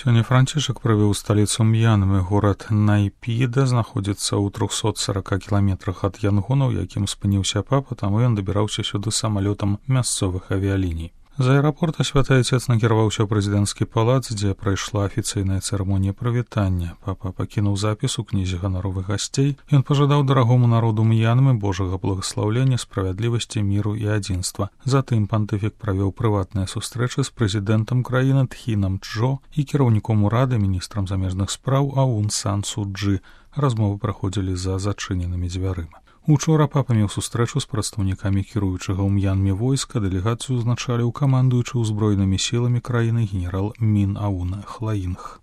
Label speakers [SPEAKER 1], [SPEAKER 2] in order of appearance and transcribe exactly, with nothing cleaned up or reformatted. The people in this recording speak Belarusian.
[SPEAKER 1] Сёння Францішак прывёў сталіцу М'янмы. Горад Найпіда знаходзіцца ў трохсот сорока кіламетрах ад Янгона, у якім спыніўся папа, таму ён дабіраўся сюды самалётам мясцовых авіяліній. З аэрапорта святы Айцец накіраваўся ў прэзідэнцкі палац, дзе прайшла афіцыйная цырымонія прывітання. Папа пакінуў запіс у кнізе ганаровых гасцей. Ён пажадаў дарагому народу М'янмы Божага благаслаўлення, справядлівасці, міру і адзінства. Затым пантыфік правёў прыватныя сустрэчы з прэзідэнтам краіны Тхінам Чжо і кіраўніком урада, міністрам замежных спраў Аун Сан Су Чжы. Размовы праходзілі за зачыненымі дзвярыма. Учора папа меў сустрэчу з прадстаўнікамі кіруючага ў М'янме войска. Дэлегацыю узначаліў камандуючы ўзброенымі сіламі краіны генерал Мін Аун Хлаінг.